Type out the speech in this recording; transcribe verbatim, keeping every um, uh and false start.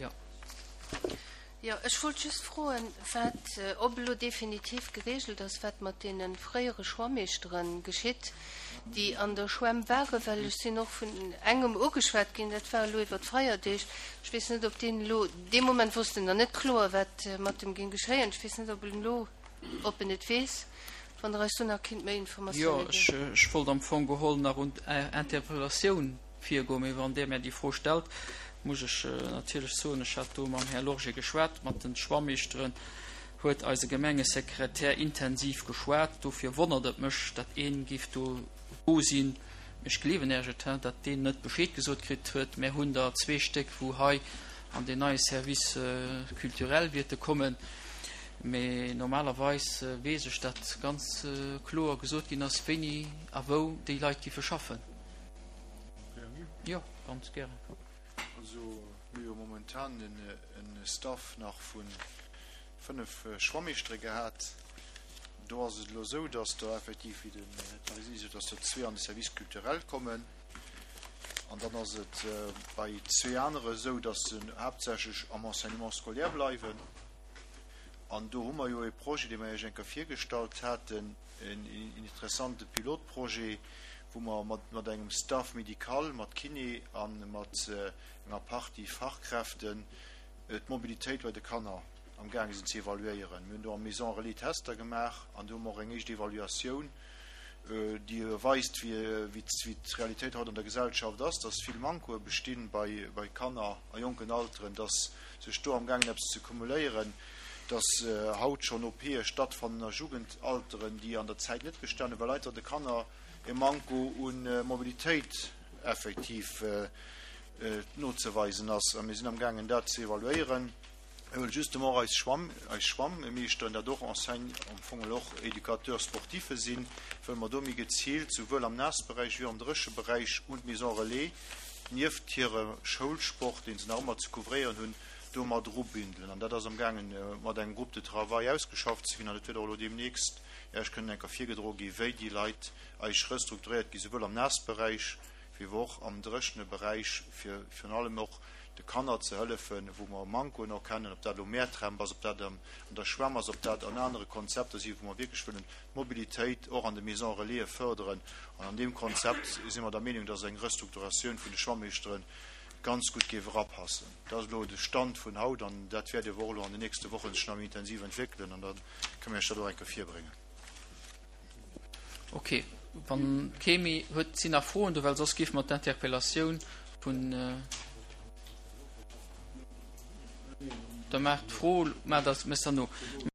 Jo. Jo, ech wollt just froen, wat, ob elo definitiv geregelt ass, wat mat deene fréiere Schwammeeschtere geschitt, déi an der Schwämm waren, well ech sinn och vun engem ugeschwat ginn, dat war elo iwwer d'Feierdeeg, ech weess net, ob deen elo, dee Moment wosst en nach net kloer, wat mat em géing geschéien, ech weess net, ob en elo, ob en et weess, wann Der eis do nach kinnt méi Jo, Informatioune ech, ginn. ech wollt am Fong geholl nach un Är Interpellatioun virgoen, mee wann Dir mär déi Fro stellt, muss ech natierlech soen, ech hat do mam Här Lorgé geschwat, mat de Schwammeeschteren huet eise Gemengesekretär intensiv geschwat. Dofir wonnert et mech, datt een géif do do sinn, ech gleewen Iech et, datt deen net Bescheed gesot kritt huet. Mär hunn der zwee Stéck, wou hei an deen neie Service culturel wierte kommen. Mee normalerweis weess ech, datt ganz kloer gesot ginn ass, wéini a wou déi Leit giffe schaffen. Jo, ganz gären. Also mir hu jo momentan e Staff nach vu fënnef Schwammeeschtere gehat. Do ass et elo esou, datt der effektiv, wéi den Här Tarisini sot, datt der zwee an de Service culturel kommen. An dann ass et bei zwee anere esou, datt se haaptsächlech am Enseignement scolaire bleiwen. An do hu mer jo e Projet, dee mer Iech eng Kéier virgestallt haten, en interessante Pilotprojet, wou mer mat engem Staff médical, mat Kiné a mat enger Partie Fachkräften d'Mobilitéit bei de Kanner amgaange sinn ze evaluéieren. Mir hunn do am Maison Relais Tester gemaach an do hu mer och eng éischt Evaluatioun, déi weist, wéi d'Realitéit haut an der Gesellschaft ass, dass vill Mankoe bestinn bei Kanner a jonken Alteren, dass sech do amgaangen eppes ze cumuléieren, dass haut schonn OPe stattfannen a Jugendalteren, déi an der Zäit net bestanen, well einfach de Kanner e Manko u Mobilitéit effektiv nozeweisen ass. A mir sinn amgaangen, dat ze evaluéieren. Mir wëlle justement och eis Schwamm, eis Schwammeeschteren, dat och Enseigne, am Fong och Éducateurs sportifs sinn, wëlle mer do méi geziilt, souwuel am Naassberäich wéi och am Drécheberäich un d'Maison Relais, nieft hire Schoulsport, dee se nach ëmmer ze couvréieren hunn, do mat erubündelen. An dat ass amgaangen mat engem Groupe de travail ausgeschafft ze ginn an et wäert och elo deemnächst Iech kënnen eng Kéier virgedroe gi wéi déi Leit eis restrukturéiert gi souwuel am Naassberäich wéi och am dréchene Beräich, fir virun allem och de Kanner ze hëllefen, wou mer Mankoen erkennen, ob dat elo Mäertremp ass, ob dat an der Schwämm ass, ob dat an anere Konzepter si wou mer wierklech wëllen d'Mobilitéit och an de Maisons Relaisen fërderen. An an deem Konzept si mer der Meenung, dass eng Restrukturatioun vun de Schwammeeschteren ganz gutt géif erapassen. Dat ass elo de Stand vun haut an dat wäert awer och elo an den nächste Wochen sech nach méi intensiv entwéckelen an da kënne mir Iech dat och eng Kéier virbréngen. Ok, wann kee méi huet, sinn nach Froen do, well soss géife mer d'Interpellatioun vun. Da maacht d'Fro, maacht der, méchs der no.